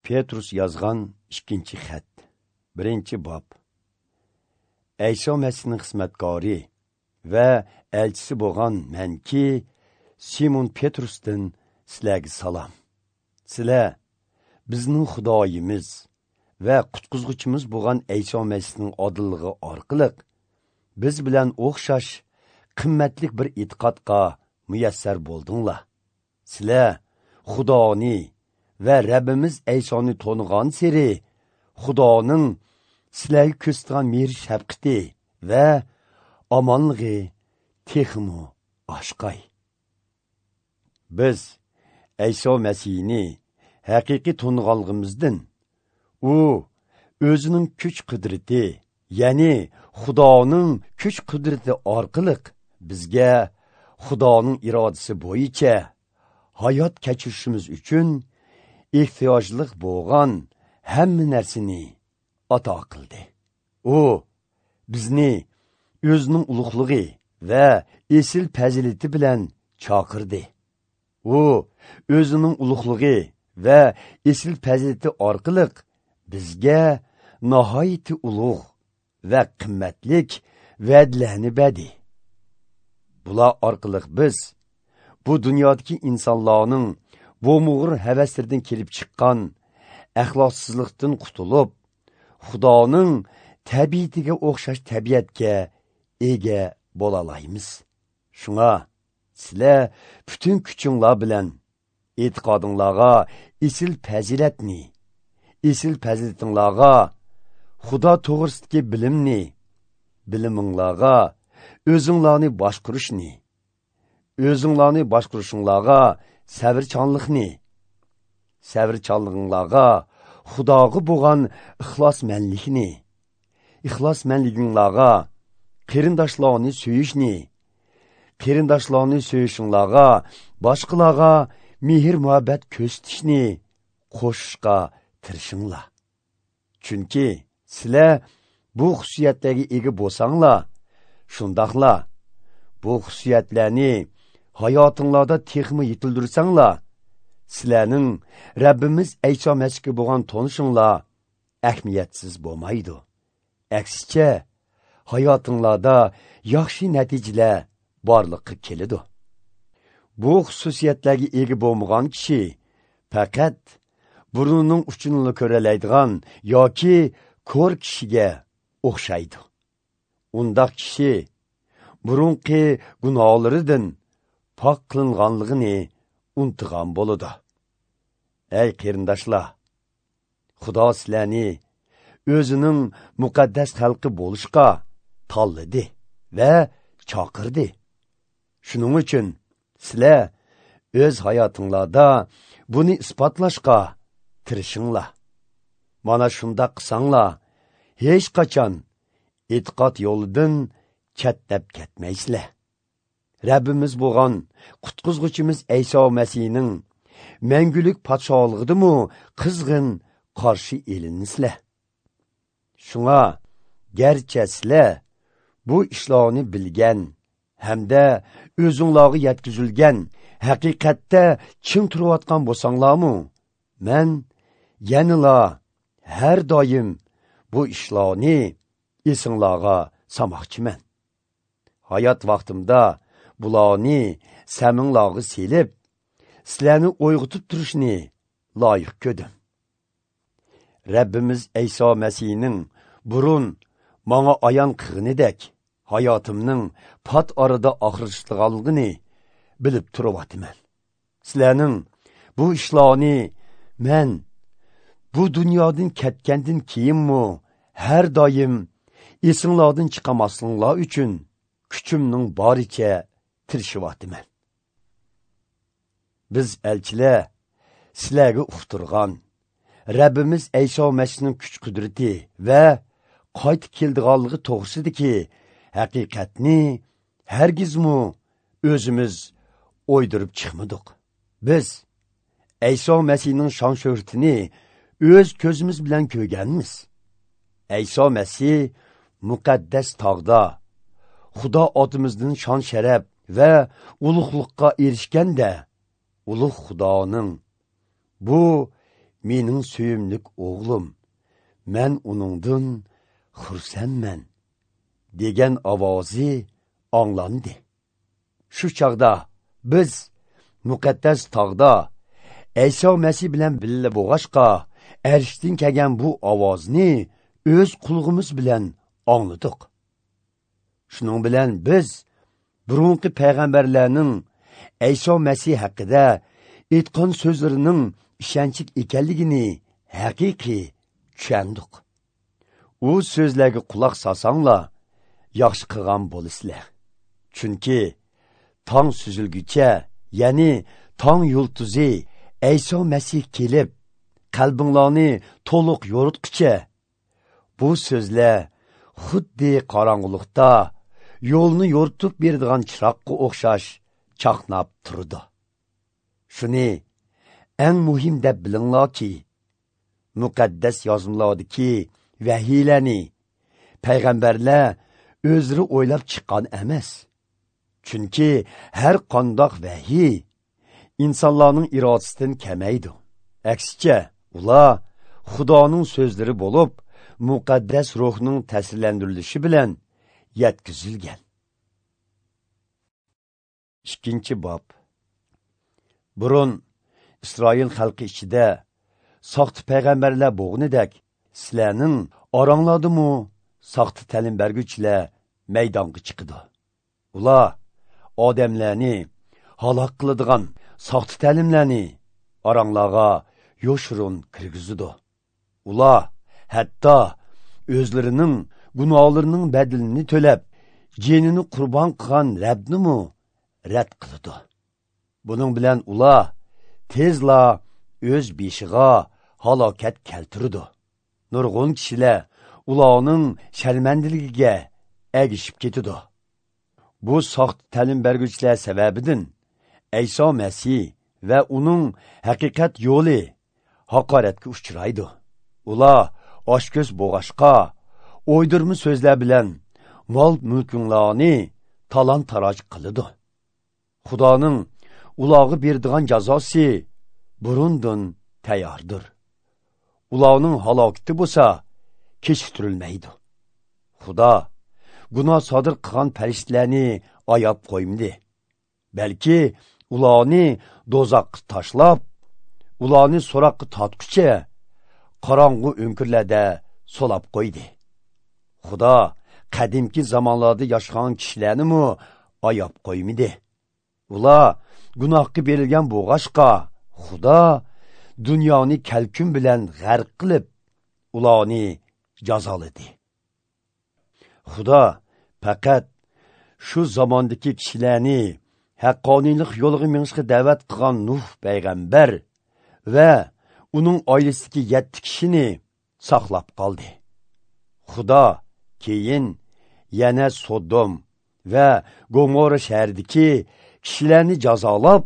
Petrus yozgan 2 xat, 1 bob. Ayso Masihning xizmatkori va elchisi bo'lgan manki Simon Petrusdan sizlarga salom. Sizlar bizning Xudoyimiz va qutqizg'uchimiz bo'lgan Ayso Masihning odilligi orqali biz bilan o'xshash qimmatli bir e'tiqodga muyassar bo'ldinglar. Sizlar Xudoni va Rabbimiz Aysoni tonigan seri Xudoning sizlarga ko'rsatgan mehr shafqati va omonligi texmo oshqay. Biz Ayso Masihni haqiqiy toniganligimizdan u o'zining kuch qudrati, ya'ni Xudoning kuch qudrati orqali bizga Xudoning irodasi bo'yicha hayot kechirishimiz uchun ehtiyojliq bo'lgan hamma narsani ato qildi. U bizni o'zining ulug'ligi va esil fazilati bilan chaqirdi. U o'zining ulug'ligi va esil fazilati orqali bizga nihoyatda ulug' va qimmatlik va'dalarni berdi. Bular orqali biz bu dunyodagi insonlarning bo'mug'ir havaslaridan kelib chiqqan axloqsizlikdan qutulib, Xudoning tabiatiga o'xshash tabiatga ega bo'la olamiz. Shunga sizlar butun kuchinglar bilan e'tiqodinglarga esil fazilatni, esil fazilatinglarga Xudo to'g'risidagi bilimni, biliminglarga o'zinglarni boshqarishni, o'zinglarni boshqarishinglarga sabrchanlikni, sabrchanliginglarga Xudoga bo'lgan ixlosmanlikni, ixlosmanliginglarga qarindoshlarni suyishni, qarindoshlarni suyishinglarga boshqalarga mehr muhabbat ko'rsatishni qo'shishga tirishinglar. Chunki sizlar bu xususiyatlarga ega bo'lsanglar, shundoqla bu xususiyatlarni hayotinglarda texmi yetildirsanglar, sizlarning Rabbimiz Ayso Masihga bo'lgan tonishinglar ahamiyatsiz bo'lmaydi. Aksicha, hayotinglarda yaxshi natijalar borliqqa keladi. Bu xususiyatlarga ega bo'lmagan kishi faqat burnining uchini ko'ralaydigan yoki ko'r kishiga o'xshaydi. Undaq kishi burunqi gunohlaridan pok qilinganligini unutgan bo'ladi. Ey qarindoshlar, Xudo sizlarni o'zining muqaddas xalqi bo'lishga tanladi va chaqirdi. Shuning uchun sizlar o'z hayotinglarda buni isbotlashga tirishinglar. Mana shundoq qilsanglar, hech qachon e'tiqod yo'lidan chettab ketmaysizlar. Rabbimiz bo'lgan qutqizg'uchimiz Ayso Masihning mangulik podsholig'idimi qizg'in qarshi elinsizlar. Shunga garchi sizlar bu ishlarni bilgan hamda o'zinglarga yetkazilgan haqiqatda chin turayotgan bo'lsanglarmi, men yanala har doim bu ishlarni esinglarga solmoqchiman. Hayot vaqtimda bularni saminglarga selib, sizlarni uyg'otib turishni loyiq ko'rdim. Rabbimiz Ayso Masihning burun manga ayon qilganidek hayotimning pat orada oxirlashganligini bilib turyapman. Sizlarning bu ishlarni men bu dunyodan ketgandan keyinmi har doim esinglardan chiqamasliginglar uchun kuchimning boricha tirishyapman. Biz elchilar sizlarga uqtirgan Rabbimiz Ayso Masihning kuch qudrati va qaytib keldiganligi to'g'risidagi haqiqatni hargizmi o'zimiz o'ydirib chiqmadik. Biz Ayso Masihning shon shuhratini o'z ko'zimiz bilan ko'rganmiz. Ayso Masih muqaddas tog'da Xudo otimizdan shon sharaf va ulug'liqqa erishganda ulug' Xudoning bu mening suyimlik o'g'lim, men uningdan xursandman" degan ovozi anglandi. Shu chog'da biz muqaddas tog'da Ayso Masih bilan birga bo'lg'achqa arshdan kelgan bu ovozni o'z qulog'imiz bilan angladik. Shuning bilan biz burunqi payg'ambarlarning Ayso Masih haqida aytgan so'zlarining ishonchli ekanligini haqiqiy tushundik. U so'zlarga quloq solsanglar, yaxshi qilgan bo'lasizlar. Chunki tong suzilguncha, ya'ni tong yulduzi Ayso Masih kelib, qalbinglarni to'liq yo'ritqicha, bu so'zlar xuddi qorong'ulikda yo'lni yo'ritib beradigan chiroqqa o'xshash chaqnab turdi. Shuni eng muhim deb bilinglarki, muqaddas yozmalardagi vahiylarni payg'ambarlar o'zlari o'ylab chiqqan emas. Chunki har qandoq vahiy insonlarning irodasidan kamaydi. Aksicha, ular Xudoning so'zlari bo'lib, muqaddas ruhning ta'sirlantirilishi bilan yetkazilgan. 2-bob. Burun İsroil xalqi ichida soxta payg'ambarlar bo'g'nidek, sizlarning oranglardimi soxta ta'lim berguvchilar maydonga chiqadi. Ular odamlarni halok qiladigan soxta ta'limlarni oranglarga yoshirun kirgizadi. Ular hatto o'zlarining gunohlarining badalini to'lab, jinini qurbon qilgan Rabbnimi rad qiladi. Buning bilan ular tezla o'z beshig'a halokat keltirdi. Nurg'un kishilar ularning sharmandiligiga ergishib ketadi. Bu soxta ta'lim berguvchilar sababidan Ayso Masih va uning haqiqat yo'li haqoratga uchraydi. Ular oshko'z bo'g'ashqa o'ydirma so'zlar bilan mol mulkinglarni talon-taroj qiladi. Xudoning ularga beradigan jazosi burundan tayyordir. Ularning halokati bo'lsa kechiktirilmaydi. Xudo gunoh sodir qilgan farishtalarni ayab qo'ymadi, balki ularni do'zaxga tashlab, ularni so'roqqa tortguncha qorong'u o'nkirlarda solab qo'ydi. Xudo qadimki zamonlarda yashagan kishilarni ayab qo'ymadi. Ular gunohga berilgan bo'g'ashqa Xudo dunyoni kalkun bilan g'arq qilib, ularni jazoladi. Xudo faqat shu zamondagi kishilarni haqqoniylik yo'liga minishga da'vat qilgan Nuh payg'ambar va uning oilasidagi 7 kishini saqlab qoldi. Xudo keyin yana Sodom va Gomorra shahridagi kishilarni jazolab,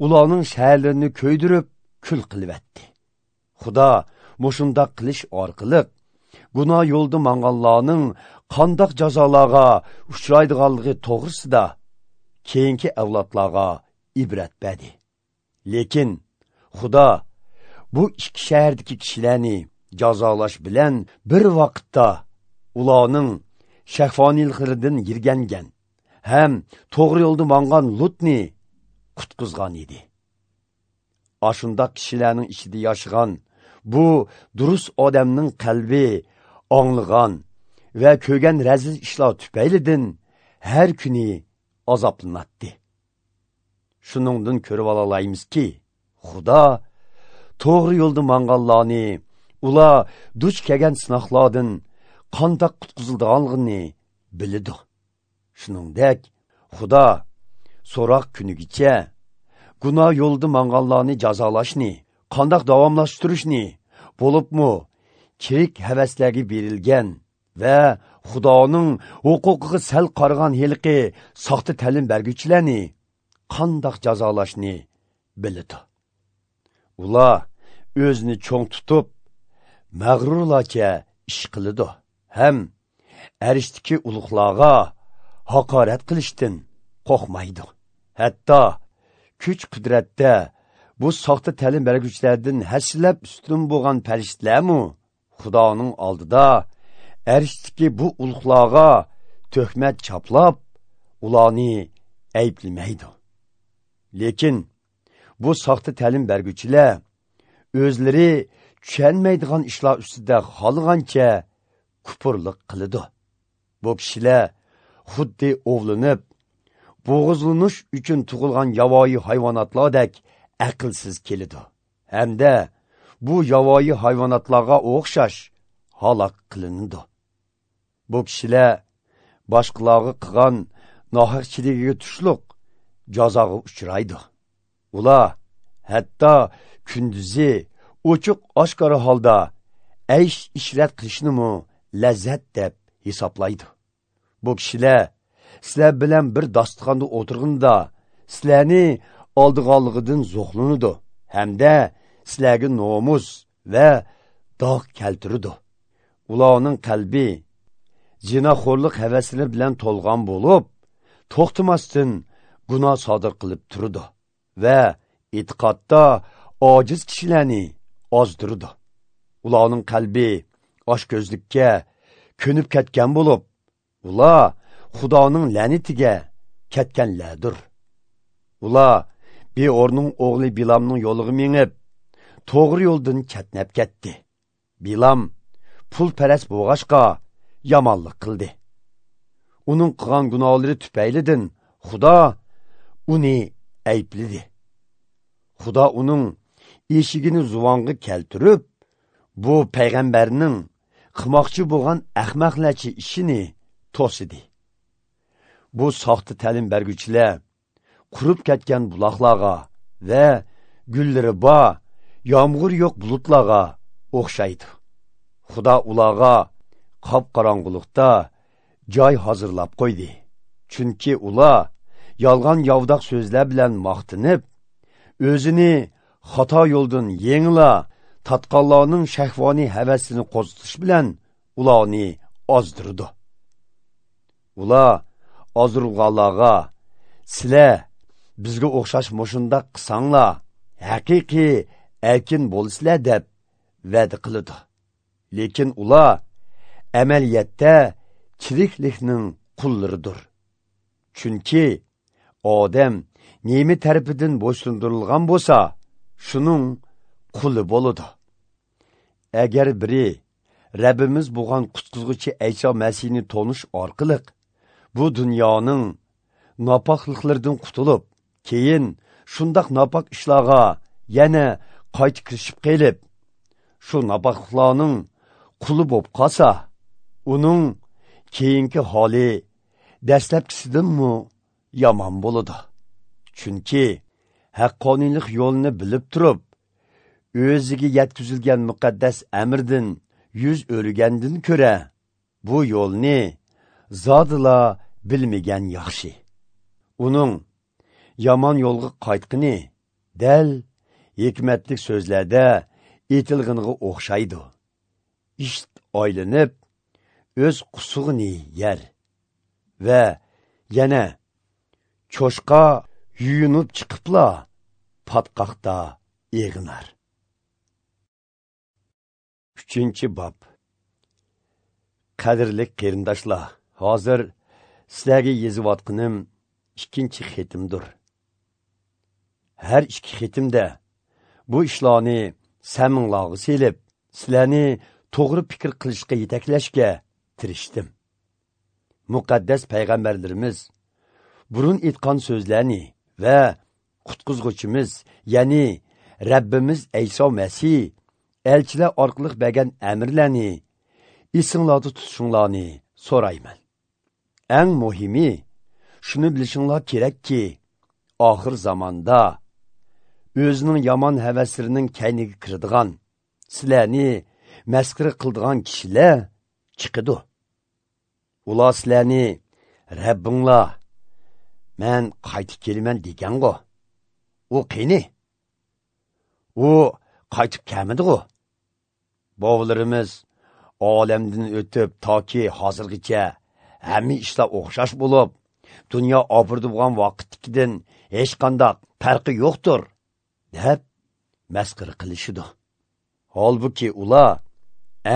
ularning shaharlarini ko'ydirib kul qilib-etdi. Xudo mushundaq qilish orqali gunoh yo'lda manganlarning qandoq jazolarga uchraydiganligi to'g'risida keyingi avlodlarga ibrat berdi. Lekin Xudo bu ikki shahardagi kishilarni jazolash bilan bir vaqtda ularning shahvoniyliklaridan yirgangan ham to'g'ri yo'lda mangan Lutni qutqizgan edi. Ashundaq kishilarning ichida yashagan bu durust odamning qalbi anglagan va ko'rgan razil ishlar tufaylidan har kuni azoblanadi. Shuningdan ko'rib ololaymizki, Xudo to'g'ri yo'lda manganlarni ular duch kelgan sinoqlardan qandoq qutqizilganligini biladi. Shuningdek, Xudo so'roq kunigacha gunoh yo'lida manganlarni jazolashni, qandoq davomlashtirishni, bo'libmi kirik havaslarga berilgan va Xudoning huquqiga sal qaragan heliqi soxta ta'lim berguvchilarni qandoq jazolashni biladi. Ular o'zini cho'ng tutib, mag'rurlarcha ish qiladi ham arishdagi ulug'larga haqorat qilishdan qo'rqmaydi. Hatto kuch-qudratda Bu soxta ta'lim berguvchilardan hasilab ustun bo'lgan farishtalarmi Xudoning oldida arishdagi bu ulug'larga tuhmat chaplab, ularni ayblamaydi. Lekin bu soxta ta'lim berguvchilar o'zlari tushunmaydigan ishlar ustida xohlagancha kupurlik qiladi. Bu kishilar xuddi ovlanib, bo'g'izlanish uchun tug'ilgan yovvoyi hayvonotlardek aqlsiz keladi. Hamda bu yovvoyi hayvonotlarga o'xshash halok qilinadi. Bu kishilar boshqalarga qilgan nohaqchiligiga tushliq jazoga uchraydi. Ular hatto kunduzi ochiq oshkora holda aysh ishrat qilishnimi lazzat deb hisoblaydi. Bu kishilar sizlar bilan bir dasturxonda o'tirganda sizlarni oldiganligidan zo'qlanadi hamda sizlarga nomus va dog' keltiradi. Ularning qalbi zinoxo'rlik havaslari bilan to'lgan bo'lib, to'xtamasdan gunoh sodir qilib turadi va e'tiqodda ojiz kishilarni ozdiradi. Ularning qalbi oshko'zlikka ko'nib ketgan bo'lib, ular Xudoning la'natiga ketganlardir. Ular Beorning o'g'li Bilamning yo'liga minib, to'g'ri yo'ldan chetnab ketdi. Bilam pulparast bo'lg'achqa yomonlik qildi. Uning qilgan gunohlari tufaylidan Xudo uni aybladi. Xudo uning eshigini zuvonga keltirib, bu payg'ambarning qilmoqchi bo'lgan ahmoqlarcha ishini to'sidi. Bu soxta ta'lim berguvchilar qurib ketgan buloqlarga va gullari bor, yomg'ir yo'q bulutlarga o'xshaydi. Xudo ularga qop-qorong'ulikda joy hozirlab qo'ydi. Chunki ular yolg'on yovdoq so'zlar bilan maqtinib, o'zini xato yo'ldan yengila tatqanlarning shahvoniy havasini qo'zg'atish bilan ularni ozdirdi. Ular ozdirganlarga sizlar bizga o'xshash mushundaq qilsanglar, haqiqiy erkin bo'lasizlar deb va'da qiladi. Lekin ular amaliyotda tiriklikning qullaridir. Chunki odam nima tarafidan bo'ysundirilgan bo'lsa, shuning quli bo'ladi. Agar biri Rabbimiz bo'lgan qutqizuvchi Ayso Masihni tonish orqali bu dunyoning nopokliklaridan qutulib, keyin shundoq nopok ishlarga yana qayta kirishib qelib, shu nopokliklarning quli bo'lib qolsa, uning keyingi holi dastlabkisidanmi yomon bo'ladi. Chunki haqqoniylik yo'lini bilib turib, o'ziga yetkazilgan muqaddas amrdan yuz o'rgandan ko'ra, bu yo'lni zodila bilmagan yaxshi. Uning yomon yo'lga qaytqini dal hikmatli so'zlarda aytilganiga o'xshaydi. Ish aylanib o'z qusug'ini yer va yana cho'shqa yuyunib chiqibla patqoqda eg'inar. 3-bob. Qadrli qarindoshlar, hozir sizlarga yozayotganim 2 xatimdir. Har ikki xatimda bu ishlarni saminglarga selib, sizlarni to'g'ri fikr qilishga yetaklashga tirishdim. Muqaddas payg'ambarlarimiz burun aytgan so'zlarni va qutqizg'uchimiz, ya'ni Rabbimiz Ayso Masih elchilar orqali bergan amrlarni esinglarda tutishinglarni so'rayman. Eng muhimi shuni bilishinglar kerakki, oxir zamonda o'zining yomon havaslarining kayniga kiradigan, sizlarni masxara qiladigan kishilar chiqadi. Ular sizlarni Rabbinglar men qaytib kelaman degan-ku. U qani? U qaytib kelmadi-ku. Bovalarimiz olamdan o'tib toki hozirgacha hamma ishlar o'xshash bo'lib, dunyo obirdi bo'lgan vaqtdagidan hech qanday farqi yo'qdir, deb masxara qilishidi. Holbuki ular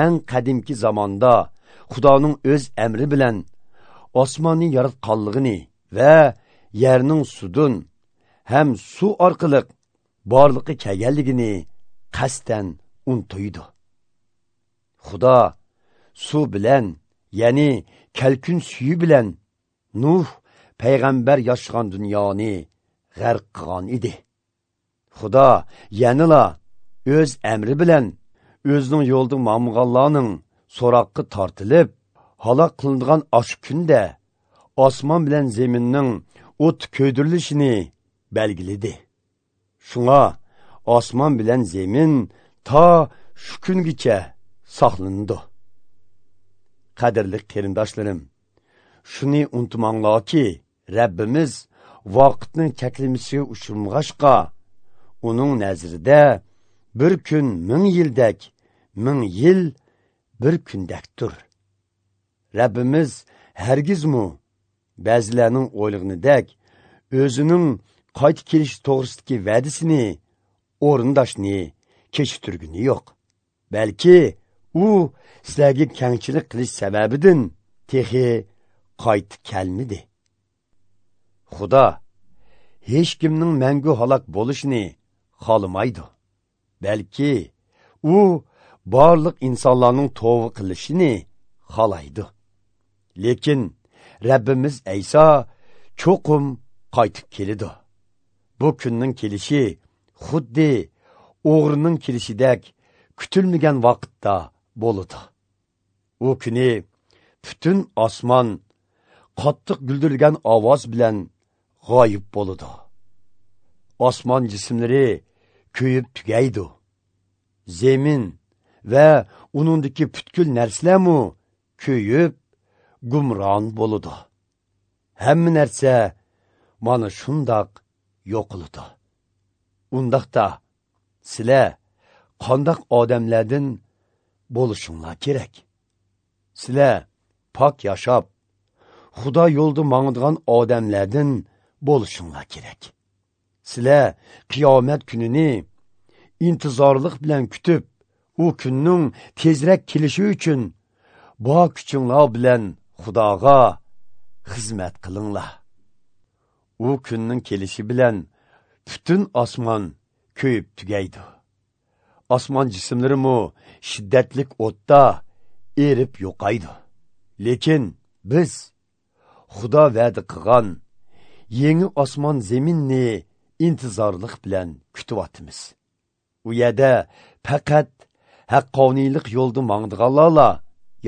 eng qadimki zamonda Xudoning o'z amri bilan osmonni yaratganligini va yerning sudun ham suv orqali borliqqa kelganligini qasddan unutuydi. Xudo suv bilan, ya'ni kalkun suyi bilan Nuh payg'ambar yashagan dunyoni g'arq qilgan edi. Xudo yanala o'z amri bilan o'zining yo'lida mamg'anlarning so'roqqa tortilib halok qilingan osh kunda osmon bilan zaminning o't ko'ydirilishini belgiladi. Shunga osmon bilan zamin ta shu kungacha saqlanadi. Qadrli qarindoshlarim, shuni unutmanglarki, Rabbimiz vaqtning cheklamasiga uchramag'achqa, uning nazarida bir kun 1000 yildak, 1000 yil bir kundakdir. Rabbimiz hargizmu ba'zilarning o'ylag'inidek o'zining qayta kelish to'g'risidagi va'dasini o'rindashni kechiktirgani yo'q. Balki u sizlarga kengchilik qilish sababidan texi qaytib kelmidi. Xudo hech kimning mangu halok bo'lishini xohlamaydi. Balki u barliq insonlarning tavba qilishini xohlaydi. Lekin Rabbimiz Ayso cho'qim qaytib keladi. Bu kunning kelishi xuddi o'g'rining kelishidek kutilmagan vaqtda bo'ladi. U kuni butun osmon qattiq guldirilgan ovoz bilan g'oyib bo'ladi. Osmon jismlari kuyib tugaydi. Zemin va uningdagi butkul narsalarmi kuyib gumron bo'ladi. Hamma narsa mana shundoq yo'qoladi. Undaqda sizlar qandoq odamlardan bo'lishinglar kerak? Sizlar pok yashab, Xudo yo'lida mangdigan odamlardan bo'lishinglar kerak. Sizlar qiyomat kunini intizorlik bilan kutib, u kunning tezroq kelishi uchun bor kuchinglar bilan Xudoga xizmat qilinglar. U kunning kelishi bilan butun osmon kuyib tugaydi. Osmon jismlarimi shiddatlik o'tda erib yo'qaydi. Lekin biz Xudo va'da qilgan yangi osmon zaminni intizorlik bilan kutyapmiz. U yerda faqat haqqoniylik yo'lda mangdiganlarla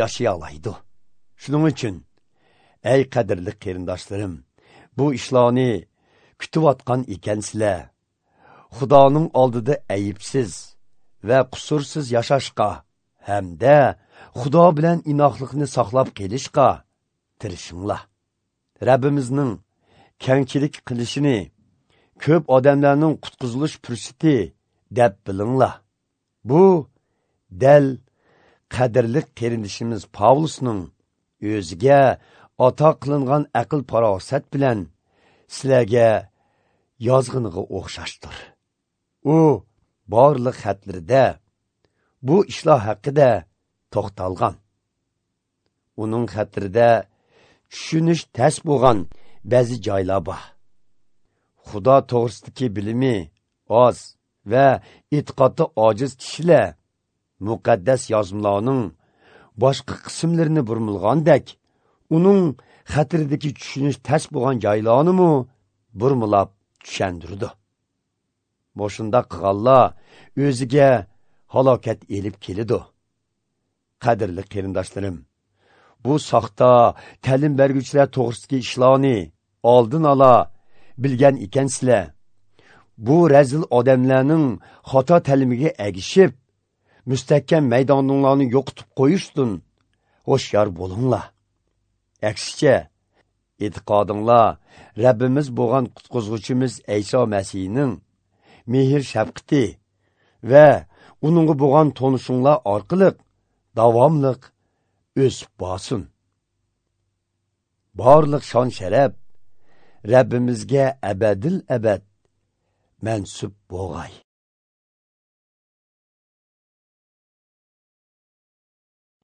yashay oladi. Shuning uchun ey qadrli qarindoshlarim, bu ishlarni kutayotgan ekansizlar, Xudoning oldida aybsiz va qusursiz yashashga hamda Xudo bilan inoqlikni saqlab qolishga tirishinglar. Rabbimizning kengchilik qilishini ko'p odamlarning qutqizilish fursati deb bilinglar. Bu dal qadrli qarindishimiz Pavlusning o'ziga ato qilingan aql farosat bilan sizlarga yozg'iniga o'xshashdir. U barliq xatlarida bu ishlar haqida to'xtalgan. Uning xatlarida tushunish tas bo'lgan ba'zi joylar bor. Xudo to'g'risidagi bilimi oz va e'tiqodda ojiz kishilar muqaddas yozmalarning boshqa qismlarini burmilgandek, uning xatridagi tushunish tas bo'lgan joylarni burmilab tushundirdi. Boshunda qilganlar o'ziga halokat elib keladi. Qadrli qarindoshlarim, bu soxta ta'lim berguvchilar to'g'risidagi ishlarni oldin ola bilgan ekansizlar, bu razil odamlarning xato ta'limiga ergishib, mustahkam maydonlarni yo'qotib qo'yishdan hushyor bo'linglar. Aksicha, e'tiqodinglar Rabbimiz bo'lgan qutqizuvchimiz Ayso Masihning mehr shafqati va uningga bo'lgan tonishinglar orqali davomliq o'sib borsin. Barliq shon sharaf Rabbimizga abadil abad mansub bo'lg'ay.